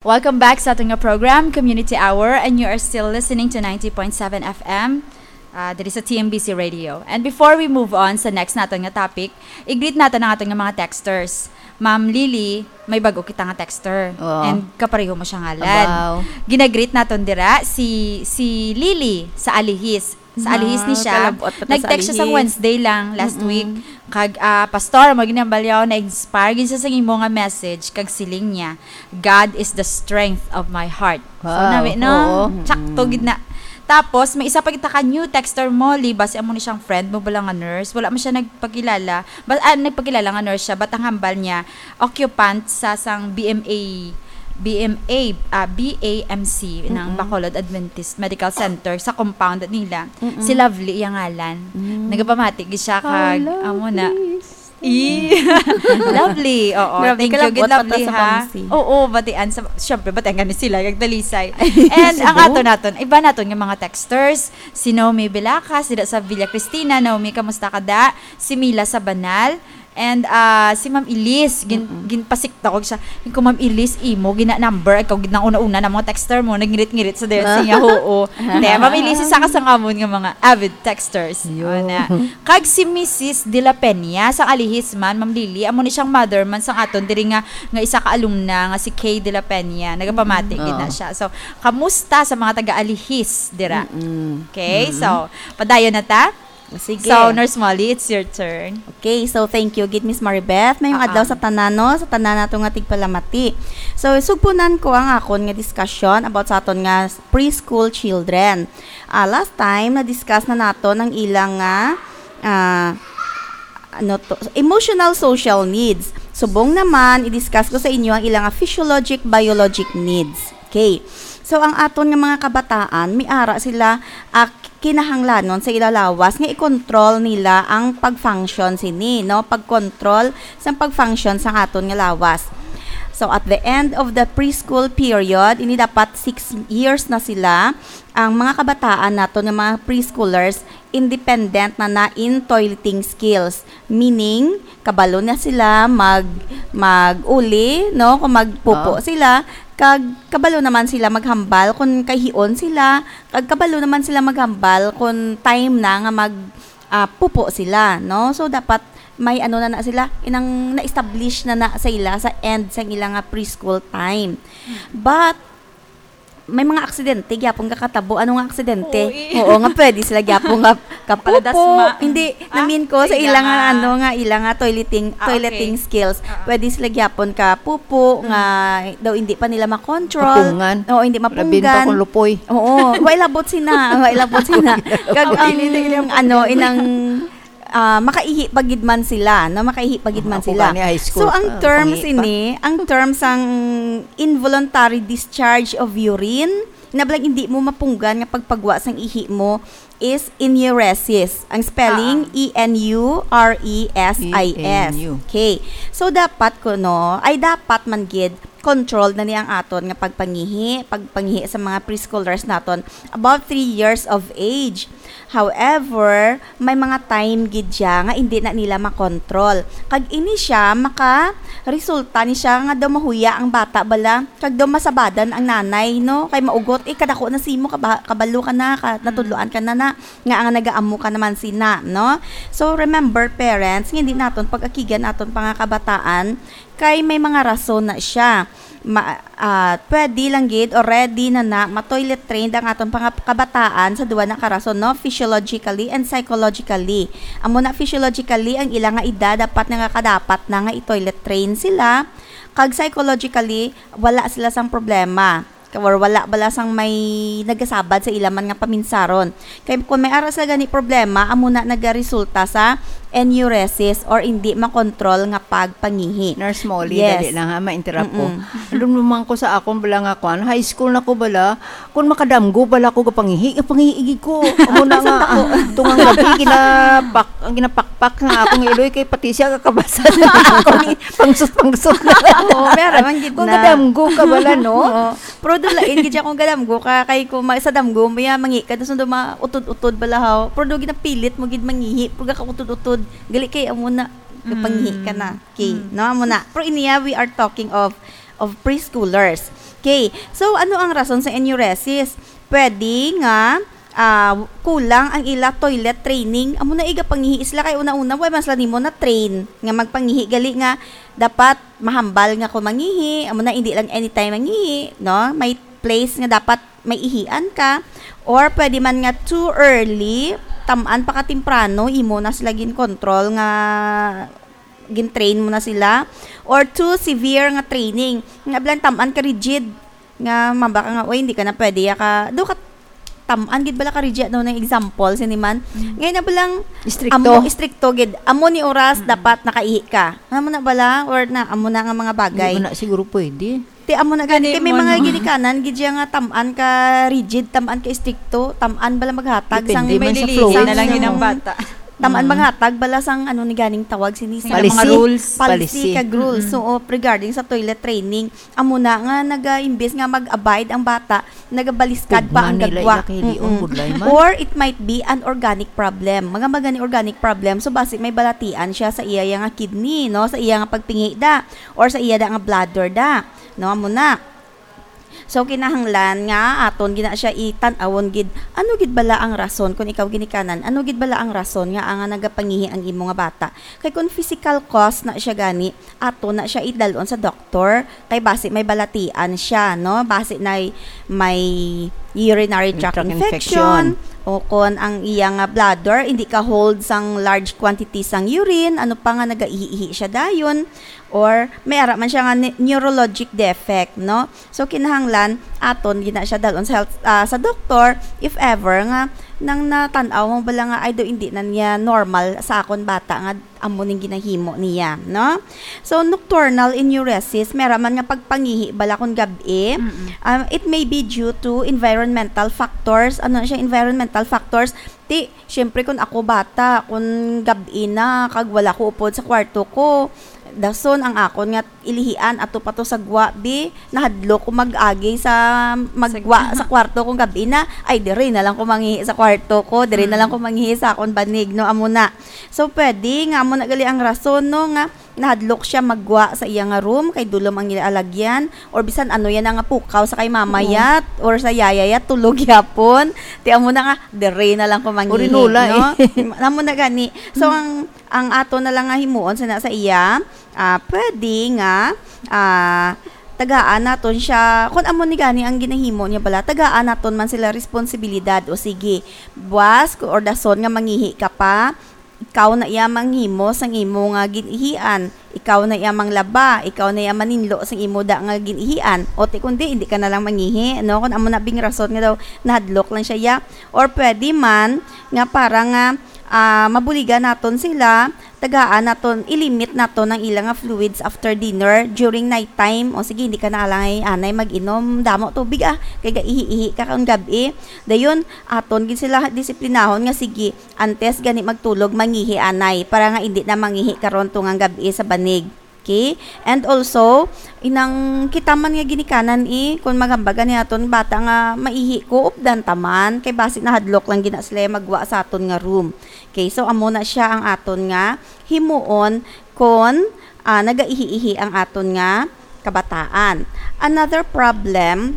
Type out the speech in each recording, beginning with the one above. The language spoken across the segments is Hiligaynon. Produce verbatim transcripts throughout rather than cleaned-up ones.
Welcome back sa aton nga program, Community Hour, and you are still listening to ninety point seven F M, uh, diri sa T M B C Radio. And before we move on sa next naton nga topic, i-greet naton ang aton nga mga texters. Ma'am Lily, may bago kita nga texter. Wow. And kapareho mo siya ngalan. Abaw. Ginagreet naton dira si, si Lily sa Alihis. Sa Alihis ni siya. Kalabot pa ta sa Nag-text siya sang Alihis. Wednesday lang last Mm-mm. week. Kag, ah, "Pastor, mo ginambalyaw, na-inspire gid siya sa imo nga message, kag siling niya, 'God is the strength of my heart.'" So, Wow. nami, no? Oo. Sakto gid na. Tapos, may isa pa kita ka new texter mo, Li, basi amo ni siyang friend mo bala nga nurse. Wala man siya nagpakilala. Ba, ah, nagpakilala nga nurse siya, but ang hambal niya, occupant sa sang B M A, B M A, ah, B A M C, ng Mm-mm. Bacolod Adventist Medical Center sa compound nila. Mm-mm. Si Lovely iyang ngalan. Mm. Nagapamati gid siya Hi, kag, amo na. Lovely. Eh. Lovely, oo. Grabe, Thank you, good kalabot pa ta Lovely, sa ha? Pamsi. Oo, batian sa, syempre, batian kami sila, kag Talisay. Ay, And ang Cebu. ato naton, iba naton nga mga texters, si Naomi Belacas, dira sa Villa Cristina. Naomi, kamusta ka da? Si Mila sa Banal. And, ah, si Ma'am Elise, gin-, Mm-mm. ginpasikta ko siya. Yung ko, "Ma'am Elise, imo, gina-number, ikaw, gid nang una-una na mga texter mo, nagngirit-ngirit sa dere Ah. siya, oo." Te, Ma'am Elise, isa ka sa ngamon nga mga avid texters. Yo. Ana. Kag si Missus De La Peña, sang Alihis man, Ma'am Lily, amo ni siyang mother man sang aton, diri nga, nga isa ka alumna, nga si Kay De La Peña. Nagapamati, Mm. gid na Oo. siya. So, kamusta sa mga taga-Alihis, dira? Mm-mm. Okay, Mm-mm. so, padayon na ta? Sige. So, Nurse Molly, it's your turn. Okay, so thank you gid, Miss Maribeth. Mayong Ah, adlaw ah. sa tanan, no? Sa tanan nato nga tigpalamati. So, sugpunan ko ang akon nga discussion about sa aton nga preschool children. Ah, last time, na-discuss na naton ang ilang nga, ah, ano to, emotional social needs. Subong naman, i-discuss ko sa inyo ang ilang nga physiologic, biologic needs. Okay. So, ang aton nga mga kabataan, may ara sila, ah, kinahanglanon sa ila lawas nga i-control nila ang pag-function sini, no? Pag-control sa pag-function sa aton nga lawas. So, at the end of the preschool period, ini dapat six years na sila, ang mga kabataan naton nga mga preschoolers, independent na na in toileting skills. Meaning, kabalo na sila mag, mag-uli, no? Kung magpupo Oo. sila, kag kabalo naman sila maghambal kung kahion sila, kag kabalo naman sila maghambal kung time na nga mag, ah, pupo sila, no? So, dapat may ano na na sila, inang na-establish na na sa ila sa end sang ila nga preschool time. But, may mga aksidente gyapon kakatabo. Ano nga aksidente? Oo, eh. Oo, nga pwede sila gyapon nga kapupo. Paladasma. Hindi, Ah, namin ko sa sa ila ila nga, nga ano nga, ila nga toileting, Ah, toileting okay. skills. Ah, ah. Pwede sila gyapon kapupo, Mm. nga daw hindi pa nila makontrol. Mapungan. Oo, hindi Labi pa mapungan. kung lupoy. Oo, way labot sina, way labot sina. Kag Ang ang, hindi nila ano, mapungan. inang, ah, makaihi pa gid man sila, no? Makaihi pa gid man Ako sila. gani, high school So, ang pa, terms pangihi pa. ini, ang terms ang involuntary discharge of urine, na balang hindi mo mapunggan nga pagpagwa sang ihi mo is enuresis. Ang spelling, Ah, ah. E N U R E S I S. E N U. Okay. So, dapat kuno, ay dapat man gid, controlled na ni ang aton nga pagpangihi, pagpangihi sa mga preschoolers naton above three years of age. However, may mga time gid siya nga hindi na nila makontrol. Kag ini siya, maka-resulta ni siya nga daw mahuya ang bata bala, kag daw masabadan ang nanay, no? Kay maugot, "Eh, kadako na simo, kaba-, kabalo ka na, ka-, Mm. natudloan ka na na, nga ang nagaamo ka naman sina," no? So, remember, parents, nga hindi naton pag-akigan aton pa nga kabataan, kay may mga rason na siya. Ma-, ah, pwede lang gid or ready na na ma-toilet trained ang aton mga kabataan sa duwa na ka rason, no? Physiologically and psychologically. Amo na, physiologically, ang ila nga edad dapat na nga kadapat na nga i-toilet train sila. Kag psychologically, wala sila sang problema. Or wala bala sang may nagasabad sa ila man nga paminsaron. Kay kung may ara sila gani problema, amo na nagaresulta sa enuresis or indi makontrol nga pagpangihi. Nurse Molly, Yes. dali lang ha, ma-interrupt ko. Mm-mm. Alam mo man ko sa akon bala nga kwan, high school na ko bala, kung makadamgo bala ko gapangihi, gapangihi gid ko. Amo na nga, ah, tungang gabi, ginapak-, ang ginapakpak nga akong iloy kay pati siya kakabasa na ako ni pangsot-pangsot na. Oo, meron man gid Kung na. Kadamgo ka bala, no? Oo. Pero dulain gid siya kung kadamgo ka, kay kung ma-, sa damgo mo ya, mangi ka, tapos nandun mautod-utod bala, haw. Pero do ginapilit mo gid mangihi, pero gakautod-utod, gali kay amo na, Mm. kapangihi ka na. Okay, Mm. no? Amo na. Pero iniya, we are talking of, of preschoolers. Okay, so ano ang rason sa enuresis? Pwede nga ah, kulang ang ila toilet training. Amo na, igapangihi sila kay una-una, wala man sila nimo na train nga magpangihi, gali nga dapat mahambal nga ko mangihi. Amo na, hindi lang anytime mangihi, no? May place nga dapat may ihian ka, or pwede man nga too early, tam-an pa ka temprano, imo na sila gin-control nga gin-train mo na sila, or too severe nga training. Nga bilang tam-an ka rigid, nga mamba ka nga, "Uy, hindi ka na pwede, ya ka, do ka tam-an gid bala ka rigid," daw na example, sini man. Mm. Ngayon na bilang Istrikto. Amo, istrikto gid. Amo ni oras Mm. dapat nakaihi ka. Amo na bala, or na, amo na nga mga bagay. Hindi mo na siguro pwede. Ti amo na gani, Gani kay may mo, mga no? ginikanan gid siya nga tam-an ka rigid, tam-an ka istrikto, tam-an bala maghatag sang Depende man sa Lilihis flow. na lang yun ang Mm. bata. Tam-an Mm. maghatag bala sang ano ni ganing tawag sini Sa sa mga Policy? rules. Policy Policy. kag rules. Mm-mm. So, oh, regarding sa toilet training, amo na nga naga-, imbes nga mag-abide ang bata, nagabaliskad pa Ugma ang nila gagwa. ila kay Leon, Mm-mm. budlay man. Or it might be an organic problem. Mga magani organic problem, so basi may balatian siya sa iya nga kidney, no? Sa iya nga pagpingi da, or sa iya da nga bladder da. No, amo na. So, kinahanglan nga aton gina siya itan-awon gid. Ano gid bala ang rason kung ikaw ginikanan? Ano gid bala ang rason nga ang nagapangihi ang imo nga bata? Kay kung physical cause na siya gani, ato na siya idalon sa doktor. Kay basi may balatian siya, no? Basi na may urinary tract Tract infection, infection. o kon ang iya nga bladder, hindi ka hold sang large quantity sang urine, ano pa nga nagaihi-ihi siya dayon, or may ara man siya nga ne-, neurologic defect, no? So, kinahanglan, aton gina siya dalon sa health, ah, sa doktor, if ever nga nang natan-aw mo bala nga, "Ay, do, hindi na niya normal sa akon bata nga amo ning ginahimo niya," no? So, nocturnal enuresis, may ara man nga pagpangihi bala kon gab-i. Mm-mm. Um, it may be due to environmental factors. Ano siya, environmental factors? Ti, syempre, kung ako bata, kung gab-i na, kag wala ko upod sa kwarto ko, dason ang akon nga ilihian ato pa to sa gwa, bi, nahadlok ko mag-agi sa, maggwa Sa sa kwarto kung gab-i na, ay, diri na lang ko mangihi sa kwarto ko, diri na lang Mm. ko mangihi sa akon banig, no, amo na. So, pwede nga amo na gali ang rason, no, nga nahadlok siya maggwa sa iya nga room kay dulom ang ila alagyan, or bisan ano yan nga pukaw sa kay mama Oo. yat or sa yaya yat, tulog yapon. Ti amo na nga, diri na lang ko mangihi, Urinula, no? eh. Amo na gani. So, Mm. ang, ang ato na lang nga himuon sana sa iya, ah, pwede nga, ah, tagaan naton siya, kung amo ni gani ang ginahimo niya bala, tagaan naton man sila responsibilidad. O sige, buwas or dason nga mangihi ka pa, ikaw na iya manghimo sang imo nga gin-ihian, ikaw na iya manglaba, ikaw na iya maninlo sang imo da nga gin-ihian. O ti kundi, hindi ka na lang mangihi, no? Kung amo na bing rason nga daw nahadlok lang siya, ya. Or pwede man nga para nga, ah, mabuligan naton sila, tagaan naton, ilimit naton ang ila nga fluids after dinner, during night time. O sige, hindi ka na lang ay anay mag-inom damo tubig, ah, kay gaihi-ihi ka kang gab-i. Dayon, aton gid sila disiplinahon nga sige, antes gani magtulog, mangihi anay, para nga indi na mangihi karon tungang gab-i sa banig. Okay? And also, inang kita man nga ginikanan, eh, kung magambagan ni aton bata nga maihi ko, updan ta man, kay basi nahadlok lang gina sila magwa sa aton nga room. Okay, so amo na siya ang aton nga himuon kon, ah, nagaihi-ihi ang aton nga kabataan. Another problem,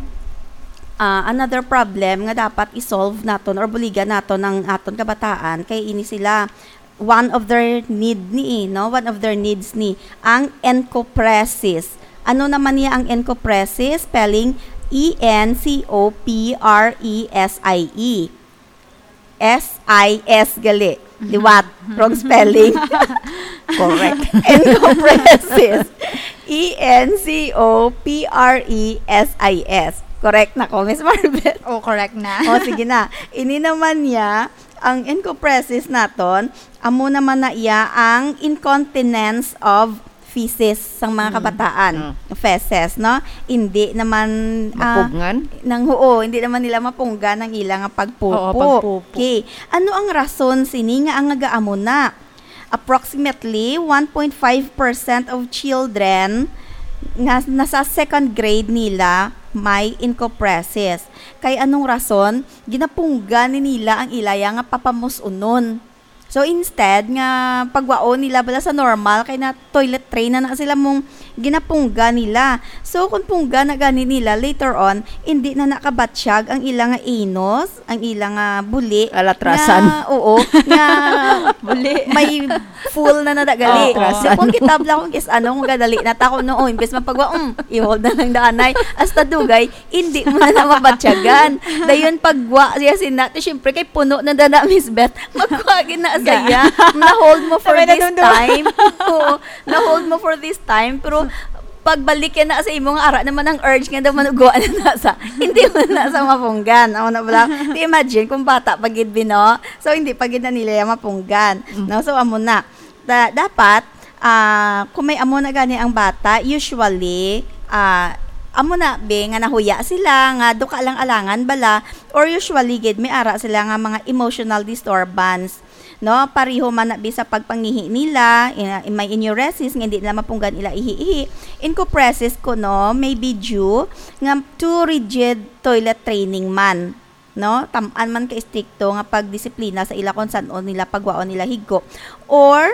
ah, another problem nga dapat i-solve naton or buligan naton ang aton kabataan kay ini sila, one of their need ni, no? One of their needs ni ang encopresis. Ano naman niya ang encopresis? Spelling, E N C O P R E S I E. S I S gali. Liwat. Wrong spelling. Correct. Encopresis. E N C O P R E S I S. Correct na ko, Miss Maribeth? Oh, correct na. Oh, sige na. Ini naman niya, ang encopresis naton, amo naman na iya ang incontinence of feces sang mga Mm. kabataan. Mm. Feces, no? Hindi naman, ah, Mapugngan? nang, oo, hindi naman nila mapunggan ang ilang pagpupo. Oo, pagpupo. Okay. Ano ang rason sini nga ang nagaamo na? Approximately one point five percent of children nga nasa second grade nila may encopresis. Kay anong rason? Ginapunggan ni nila ang ilaya nga papamus-unon. So, instead nga pagwaon nila bala sa normal, kay na toilet train na na sila mong ginapungga nila. So, kung pungga na gani nila, later on, hindi na nakabatyag ang ila nga anus, ang ila nga buli, Alatrasan. nga, oo, nga Buli. may full na nadagali. Oo. So, kung kitab lang kung kis ano, kung gadali na ta, kung no, oh, imbes mapagwa, um, i-hold na lang daanay. Hasta dugay, hindi mo na na mabatyagan. Dayon, pagwa siya sina, ti, syempre, kay puno na dana, Miss Beth, magwa gid na sa Ga- iya. Na-hold mo for Sabay na this dundun. time. Oo, na-hold mo for this time, pero pagbalik yan na sa imo nga ara naman ang urge nga daw manugwa na na sa, hindi mo na sa mapunggan. Amo na bala. Ti, imagine kung bata pa gid, Bino. So, hindi pa gid na nila yan mapunggan. Mm. No? So, amo na. Da-, dapat, ah, kung may amo na gani ang bata, usually, ah, amo na, be, nga nahuya sila, nga duka lang alangan bala, or usually gid, may ara sila nga mga emotional disturbance. No? Pareho man na, be, sa pagpangihi nila, ina-, may enuresis, nga hindi nila mapunggan ila ihi-ihi. Encopresis kuno, may be due nga too rigid toilet training man. No? Tam-an man ka istrikto nga pagdisiplina sa ila kung san-o nila pagwaon nila higko. Or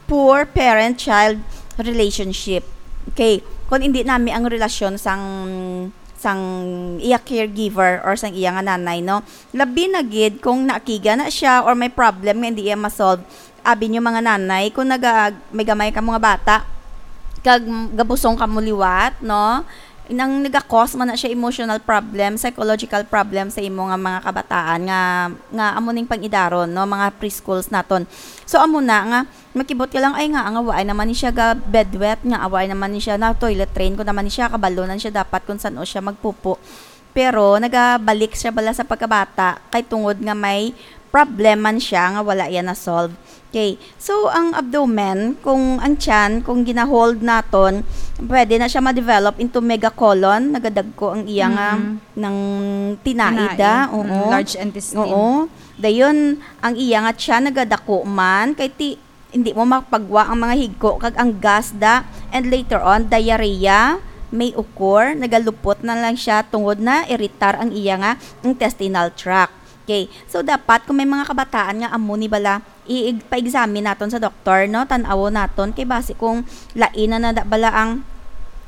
poor parent-child relationship. Okay, kung hindi nami ang relasyon sang, sang iya caregiver or sang iya nga nanay, no? Labi na gid kung naakiga na siya or may problem nga hindi iya ma-solve. Abi niyo, mga nanay, kung naga-, may gamay ka mga bata, kag gabusong ka mo liwat, no? Nang naga-cause man na siya emotional problem, psychological problem sa imo nga mga kabataan nga, nga amo ning pang-idaron, no, mga preschools naton. So, amo na nga, makibot ka lang, "Ay, nga, nga, waay naman ni siya ga bedwet, nga, waay naman ni siya na toilet train, kung naman ni siya, kabalo na siya dapat kung san-o siya magpupo." Pero nagabalik siya bala sa pagkabata, kay tungod nga may problem man siya nga wala iya na-solve. Okay. So, ang abdomen, kung ang tiyan, kung gina-hold naton, pwede na siya ma-develop into megacolon, nagadagko ang iya nga Mm. nang tinaida. Tinai. Oo. Mm, large intestine. Oo. Dayon, ang iya nga tiyan nagadako man, kay ti-, hindi mo mapagwa ang mga higko kag ang gas da, and later on, diarrhea, may ukor, nagalupot na lang siya tungod na iritar ang iya nga intestinal tract. Okay. So, dapat kung may mga kabataan nga amo ni bala, i-, i-, pa-examine naton sa doktor, no? Tan-awon naton kay basi kung lain na na da bala ang,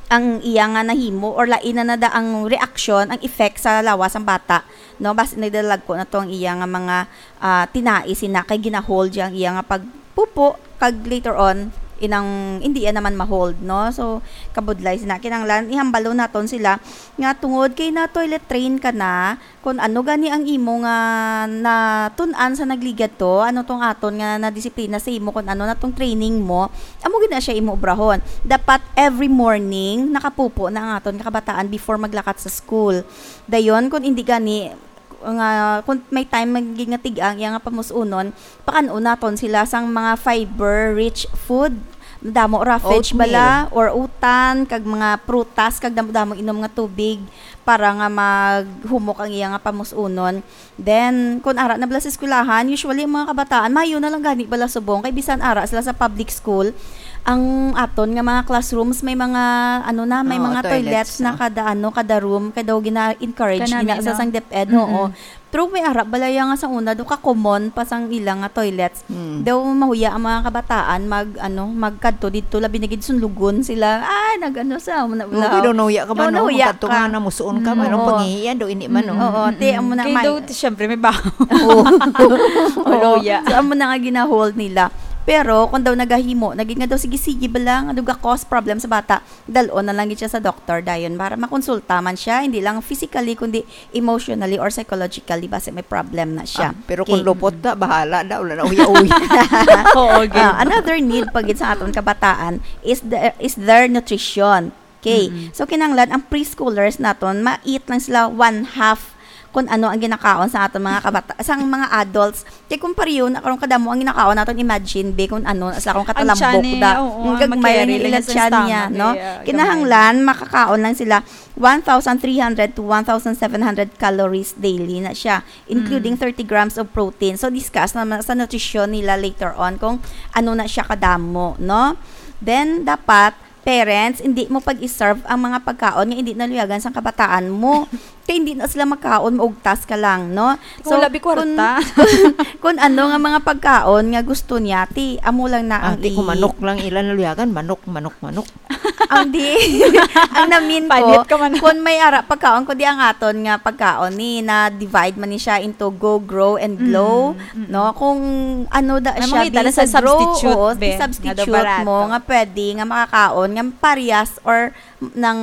ang iya nga nahimo or lain na na da ang reaksyon, ang effect sa lawas sang bata, no? Basi nagdalagko na to ang iya nga mga, ah, tinai sina kay gina-hold siya ang iya nga pagpupo kag later on inang hindi iya naman ma-hold, no? So, kabudlay sina, kinahanglan ihambalo naton sila nga tungod kay na toilet train ka na, kung ano gani ang imo nga natun-an sa nagligad to, ano tong aton nga nadisiplina sa imo, kung ano na tong training mo, amo gid na siya imo obrahon. Dapat every morning nakapupo na ang aton nga kabataan before maglakat sa school. Dayon, kung hindi gani, nga kung may time magiging nga tig-ang iya nga pamus-unon, pakan-o naton sila sang mga fiber-rich food. Damo roughage Oatmeal. bala or utan, kag mga prutas, kag damo-damo inom nga tubig para nga maghumok ang iya nga pamus-unon. Then, kung ara na bala sa eskwelahan, usually ang mga kabataan, mayo na lang gani bala subong, kay bisan ara sila sa public school, ang aton nga mga classrooms may mga, ano na, may Oo, mga toilets toilets na na. kada, ano, kada room, kay daw gina-encourage Kanami, gina sa no? sang DepEd, Mm-mm. oo. Pero may ara bala iya nga sa una, do ka common pa sang ila nga toilets. Mm. Daw mahuya ang mga kabataan mag, ano, magkadto didto, labi na gid sunlugon sila. Ay, nag-ano sa, muna, Oo, wala. pero nahuya ka man, Oo, no? nahuya Magkadto ka. nga namusuon ka Mm, man, no? oo. Pangihian daw, ini man, no? Mm, Oo, te, mm. amo na Kay may daw, syempre, may baho. Oo. Oo. Nahuya. So, amo na nga gina-hold nila. Pero, kung daw nagahimo, naging nga daw, sige-sige bala, nga daw ga-cause problem sa bata, dal-on na lang gid siya sa doktor dayon para makonsulta man siya, hindi lang physically, kundi emotionally or psychologically, basi may problem na siya. Ah, pero kung Okay. lupot na, bahala na, wala na uya-uya. Oo, gid. Ah, another need pa gid sa aton kabataan is the, is their nutrition. Okay. Mm-mm. So, kinahanglan ang preschoolers naton, ma-eat lang sila one half kung ano ang ginakaon sa aton mga kabata-, sa mga adults. Kay kung pareho na karon kadamo ang ginakaon naton, imagine, be, kung ano, sa akong Ang katalambok tiyan eh, da. oo, Ang ang gagmay lang makerry yung lang ilang sa tiyan niya, stomach no? eh, ah, Kinahanglan, makakaon lang sila one thousand three hundred to one thousand seven hundred calories daily na siya, including Mm. thirty grams of protein. So, discuss naman sa nutrition nila later on kung ano na siya kadamo, no? Then, dapat, parents, hindi mo pag-i-serve ang mga pagkaon nga hindi naluyagan sa kabataan mo. Kay hindi na sila makaon, maugtas ka lang, no? Kung wala bi kwarta. Kun ano nga mga pagkaon nga gusto niya, ti, amo lang na ang Ate, kung i- manok lang ila naluyagan, manok, manok, manok. Ang di, ang namin ko, Panit ka man. Kung may ara pagkaon, kung di ang aton nga pagkaon ni, na-divide man ni siya into go, grow, and glow, Mm, mm. no? Kung ano da May siya, mga di ita na sa sa grow, substitute, oo, be, di nga daw substitute barato. Mo, nga pwede, nga makakaon, nga parehas or nang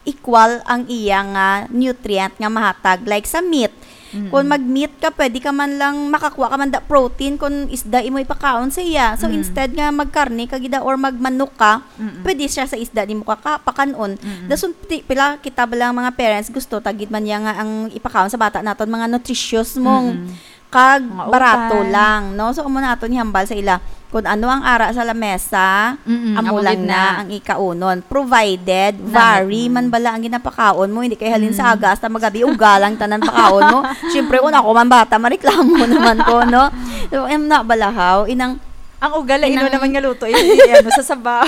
equal ang iya nga nutrient nga mahatag, like sa meat. Mm-mm. Kung mag-meat ka, pwede ka man lang makakuha ka man da protein kung isda imo ipakaon sa iya. So, Mm. instead nga magkarne ka gid or magmanok ka, Mm-mm. pwede siya sa isda nimo kaka-, pakanon. Mm-mm. Dason ti-, pila kita ba lang mga parents gusto tagid man niya nga ang ipakaon sa bata naton mga nutritious mong Mm-mm. kag Mga barato utan. Lang, no? So, amo na aton ihambal sa ila. Kung ano ang ara sa lamesa, Mm-mm, amo amo lang gid na na. Ang ikaunon. Provided, Na, vary mm. man bala ang ginapakaon mo, hindi kay halin sa Mm. aga hasta magabi, uga lang tanan pakaon mo. Siyempre, kung ako man bata, mareklamo naman ko, no? So, em, na balahaw, inang Ang uga, ino inang naman nga luto, i-, i-, ano, sa sabaw.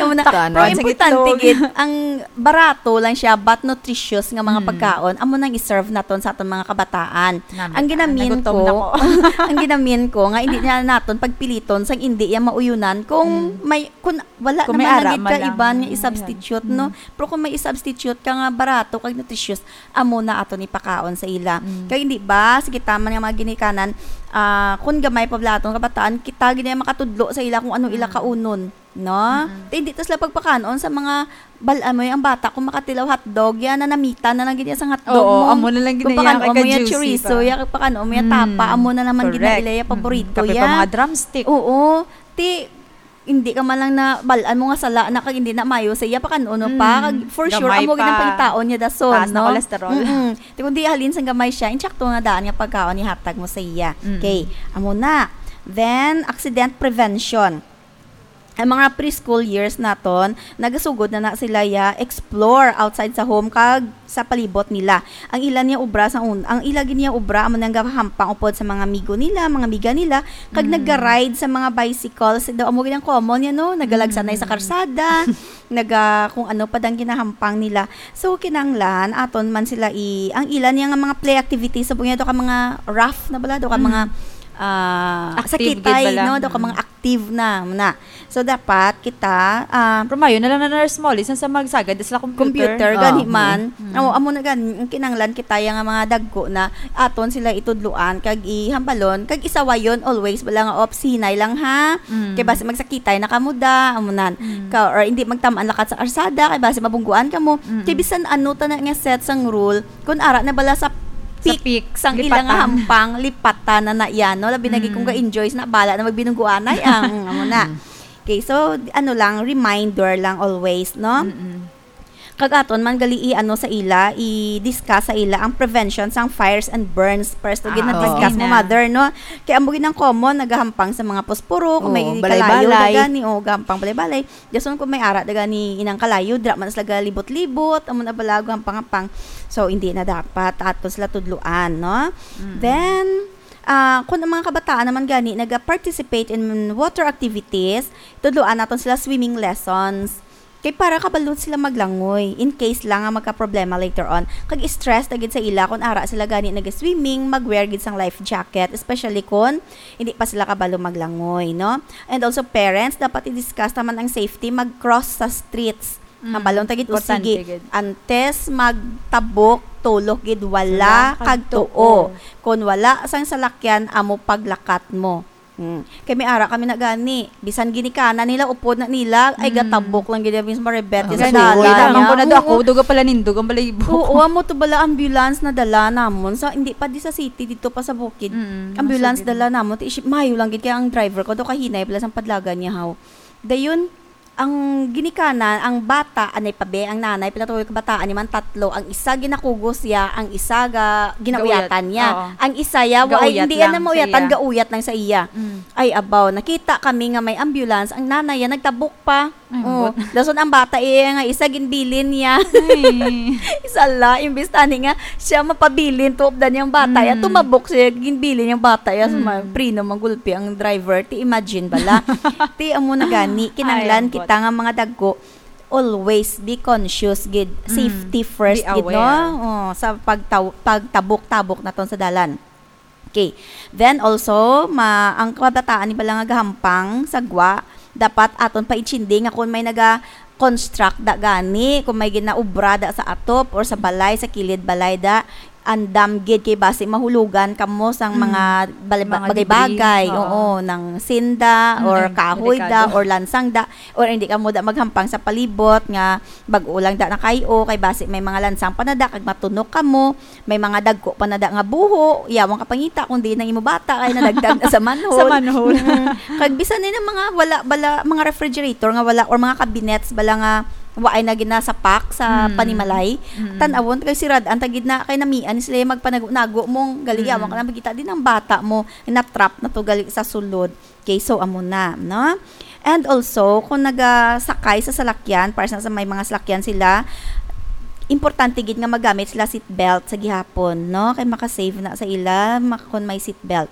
Amo na. Tanan. Pero Sa importante gitlog. Gid, ang barato lang siya, but nutritious nga mga Mm. pagkaon, amo nang i-serve naton sa aton mga kabataan. Nami-, Ang ginamin nagutom ko, na ko. Ang ginamin ko nga hindi na naton pagpiliton sang hindi iya mauyunan kung Mm. may, kung wala Kung may naman ara lagi man ka lang. Iban nga i-substitute, Mm. no? Pero kung may i-substitute ka nga barato kag nutritious, amo na aton ipakaon sa ila. Mm. Kay hindi ba, sige, taman nga mga ginikanan, ah, kung gamay pa bala aton kabataan, kita gid ang makatudlo sa ila kung ano ila Mm. kaunon. No? Mm-mm. Ti, hindi ta sila pagpakanon sa mga bal-, amo, ang bata, kung makatilaw hotdog, yan na namita na lang gid niya sa hotdog Oo, mo. Amo na lang gid Kung niya pakan-on mo yung kaka-juicy chorizo, pa. Yan, kung pakan-on mo yung Mm. tapa, amo na naman gid na Correct. ila yung Mm-mm. paborito Kape pa yan. Mga drumstick. Oo. Ti, hindi ka man lang na bal-an mo nga sala na kag hindi na mayo sa iya, pakan-on mo pa. Mm. Kag for sure, Gamay amo gid ang pa. Pangitaon niya dason, Taas na no? Cholesterol. Mm-mm. Ti, kung di halin sang gamay siya, insakto nga daan nga pagkaon ihatag mo sa iya. Mm. Okay, amo na. Then, accident prevention. Ang mga preschool years naton, nagasugod na na sila ya explore outside sa home kag sa palibot nila. Ang ila niya obra sa un-, ang ila gid niya obra amo nang gahampang upod sa mga amigo nila, mga amiga nila, kag Mm. naga-ride sa mga bicycles. Daw amo gid ang common niya, no? Nagalagsanay sa Mm. karsada, naga-, kung ano pa dang ginahampang nila. So, kinahanglan, aton man sila i-, ang ila niya nga mga play activities, sa bunya, daw ka mga rough na bala, daw ka Mm. mga, ah, Active gid sakitay, bala. No? Daw ka Mm. mga active na, na. So, dapat kita, ah, Pero mayo na lang na nurse mo, lisan sa magsagad sila computer. Computer, gani Ah, man. mm. Oo, amo na gani, ang kinahanglan kita ya nga mga dagko na aton sila itudloan, kag ihambalon, kag isawayon always, bala nga, "Ops, hinay lang ha." Mm. Kay basi magsakitay na kamo da, amo nan. Mm. Ka, or hindi magtamaan lakat sa arsada, kay basi mabungguan kamo. Mm. Kay bisan ano ta na nga set sang rule, kung ara na bala sa Sa peak, peak, sang ila nga lipatan. Hampang, lipatan na na iya, no? Labi na gid kung Mm. ga-enjoy na, bala na magbinungguanay, ang, amo na. Mm. Okay, so, ano lang, reminder lang always, no? Mm-mm. Kag aton man gali i-, ano sa ila, i-discuss sa ila ang prevention sang fires and burns. First, Ah, gina-discuss oo. Mo, Gina. Mother, no? Kay amo gid ang common, nagahampang sa mga posporo, kung Oo, may kalayo balay-balay. Na gani, o gahampang balay-balay. Dason kung may ara da gani inang kalayo, dira man sila galibot-libot, amo na bala, gahampang-hampang. So, hindi na dapat ato sila tudloan, no? Mm. Then, ah, kung ang mga kabataan naman gani naga-participate in water activities, tudloan naton sila swimming lessons. Kay para kabalo sila maglangoy, in case lang nga magka-problema later on. Kag stress na gid sa ila kung ara sila gani naga-swimming, mag-wear gid sang life jacket, especially kung hindi pa sila kabalo maglangoy, no? And also, parents, dapat i-discuss naman ang safety, mag-cross sa streets. Mm, hambalon ta gid, importante usigi, gid. Antes magtabok, tulok gid, wala kag tuo. Wala kag tuo. Kun wala sang salakyan, amo paglakat mo. Hmm. Kay may ara kami na gani. Bisan ginikanan nila, upod na nila, ay, mm, gatabok lang gid, mismo rebet sa dalan. Ah, gani, kita man ko na. Oo. Dako, duga pala nindog ang balahibo. Oo, amo to bala ambulance na dala namon. Sa, hindi pa di sa city, dito pa sa bukid. Mm, ambulance masugid. Dala namon. Ti, shi-, mayo lang gid kay ang driver ko, do kahinay pala sang padlagan niya, haw. Dayon, ang ginikanan, ang bata, anay pa be, ang nanay, pila to kabataan, ni man tatlo, ang isa ginakugos ya, ang isa ga-, ginauyatan niya. Gauyat, oo. Ang isa ya, wa-, ay, gauyat hindi yan lang na mauyatan, sa iya. Gauyat lang sa iya. Mm. Ay, abaw, nakita kami nga may ambulance, ang nanay ya, nagtabok pa. Ay, oo. Ambot. Dason ang bata iya nga isa, ginbilin niya. Ay. Isa la, imbis tani nga, siya mapabilin, tuop da niyang bata ya, mm, tumabok siya, ginbilin niyang bata ya, mm, so, ma-, preno, magulpi ang driver. Ti imagine bala. Ti amo na gani, kinanglan, ay, ambot, kita nga mga dagko, always be conscious gid. Mm. Safety first Be gid, no? aware. Oh, sa pagtaw- pagtabok-tabok naton sa dalan. Okay. Then also, ma ang kabataan ni bala nga gahampang sa gwa, dapat aton paintindi nga kung may naga-construct da gani, kung may ginaobra da sa atop or sa balay, sa kilid balay da, andam gid kay basi mahulugan kamo sang Mm. mga bal- Mga bagay-bagay, debris, oo. Oo, nang sinda Mm, or ay, kahoy da delikado. or lansang da, or hindi kamo da maghampang sa palibot nga bag-o lang da na kayo, kay basi may mga lansang pa na da kag matunok kamo, may mga dagko pa na da nga buho, yawang kapangita kung di na imo bata kay nadagdag na sa manhole. Sa manhole. Mm. Kag bisan ni mga wala bala, mga refrigerator nga wala or mga cabinets bala nga waay na ginasapak sa Mm. panimalay, Mm. tan-awon kay sirad-an ta gid na kay namian ni sila magpanago-nago mong gali, Mm. yawang ka na makita din ang bata mo na-trap na to gali sa sulod. Okay, so amo na, no? And also, kung nagasakay sa salakyan, para sa, sa may mga salakyan sila, importante gid nga magamit sila seat belt sa gihapon, no? Kay makasave na sa ila ma- kung may seat belt.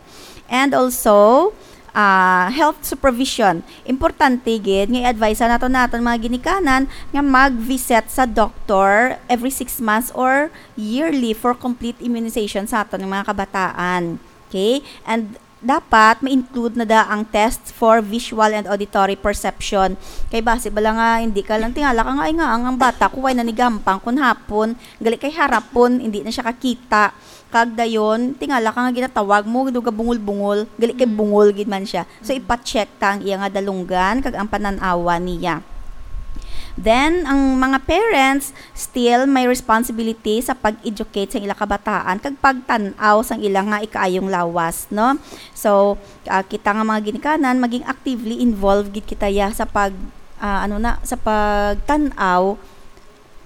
And also, ah, health supervision. Importante gid nga i-advise nato naton mga ginikanan nga mag-visit sa doctor every six months or yearly for complete immunization sa aton mga kabataan. Okay? And dapat ma-include na da ang tests for visual and auditory perception. Kay basi bala nga hindi ka lang tingala ka nga, "Ay nga, ang, ang bata ko way nanigampang kun hapon, gali kay harapon, hindi na siya kakita." Kag dayon, tingala ka nga ginatawag mo, daw gabungol-bungol, gali kay Mm. bungol gid man siya. So, ipa-check ta ang iya nga dalunggan kag ang panan-awa niya. Then, ang mga parents still may responsibility sa pag-educate sa ila kabataan kag pagtan-aw sang ila nga ikaayong lawas, no? So, ah, kita nga mga ginikanan, maging actively involved gid kita ya sa pag, ah, ano na, sa pagtan-aw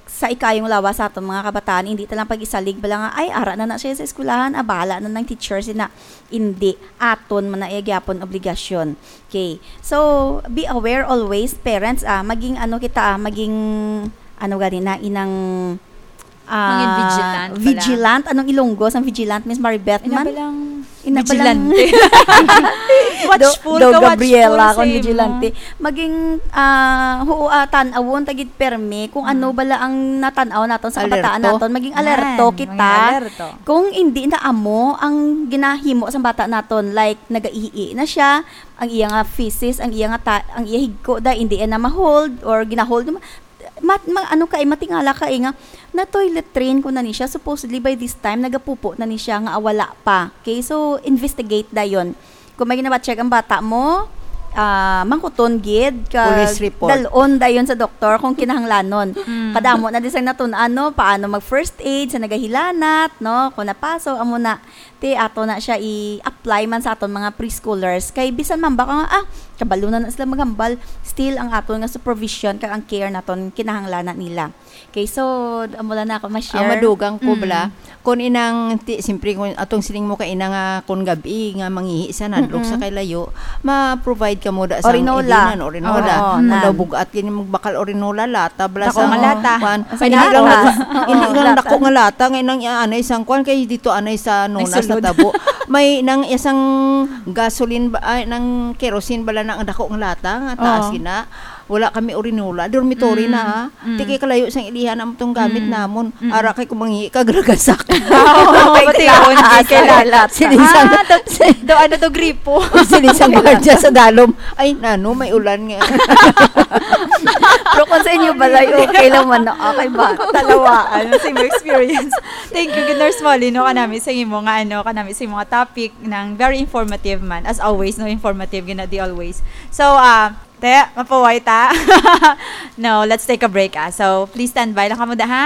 sa ikaayong lawas sa aton mga kabataan. Hindi ta lang pag-isalig bala nga, "Ay, ara na na siya sa eskwelahan, ah, bahala na ng teacher sina." Hindi, aton man na iya gyapon obligasyon. Okay. So, be aware always, parents, ah, maging ano kita, ah, maging, ano gani na, inang, ah, Maging vigilant pala. Vigilant? Anong Ilonggo sang vigilant, Miss Maribeth Ina man? ba lang Ina ba vigilante? lang? Watchful Do, do ka, Gabriela watchful akong sa imo. Vigilante. Maging, ah, huo, ah, tan-awon ta gid permi kung ano Mm. bala ang natan-aw naton sa kabataan Alerto. naton. Maging alerto Yan, kita. maging alerto. Kung hindi na amo ang ginahimo sa bata naton, like, nagaihi na siya, ang iya nga feces, ang iya nga ta- ang iya higko da, hindi na ma-hold or gina-hold, ma, ma, ano ka, eh, matingala ka, eh, nga na-toilet train ko na ni siya. Supposedly, by this time, nagapupo na ni siya nga wala pa. Okay, so, investigate dayon. Kung may ginawa-check ang bata mo, ah, mangkuton gid, kag Police report. Dalon dayon sa doktor kung kinahanglanon. Mm. Kadamo na din sa natun-an, no? Paano mag-first aid sa nagahilanat, no? Kung napaso, amo na. Ti, ato na siya i-apply man sa aton mga preschoolers. Kay bisan man ba ka nga, ah, kabalo na na sila maghambal, still ang aton nga supervision kag ang care naton kinahanglanan nila. Okay, so, amo lang na ako ma-share. Ang madugang ko, Mm. bala, kung inang, ti, siyempre, kung atong siling mo ka ina nga, kung gabi nga mangihi sa nadlok Mm-mm. sa kay layo, ma-provide ka mo da sa Orinola. Ilinan, Orinola. Oo, Kung nan. daw bugat, kini magbakal Orinola, lata, bala Dako nga lata. Kwan. Sa Ay, hindi lang, latas. hindi Oo, lang latas. Dako nga lata, nga inang, ah, anay sang kwan, kay dito anay sa nunas Nagsulod. natabo. May nang isang gasoline, ba, ay, nang kerosene, bala na ang dako nga lata, nga taas Oo. gina. Wala kami Orinola, dormitory Mm, na, ha. mm. Ti kay kalayo sang ilihan ang tong gamit Mm, namon. mm. Ara kay kumangi kag ragasak. Oo, pati yun, kay Sa lalat. lalat. Sinisang, Ah, do, do, ano do, gripo? sinisang gwardiya sa dalom. Ay, nano, may ulan nga. Pero kung sa inyo balay, okay lang man na. Okay ba? Talawaan sa imong experience. Thank you, good, Nurse Molly, no, kanami sa imo nga, ano, kanami sa imo nga topic, nang very informative man. As always, no, informative, gina, di always. So, ah, te, mapaway ta. No, let's take a break, ah. So, please stand by lang kamo da, ha?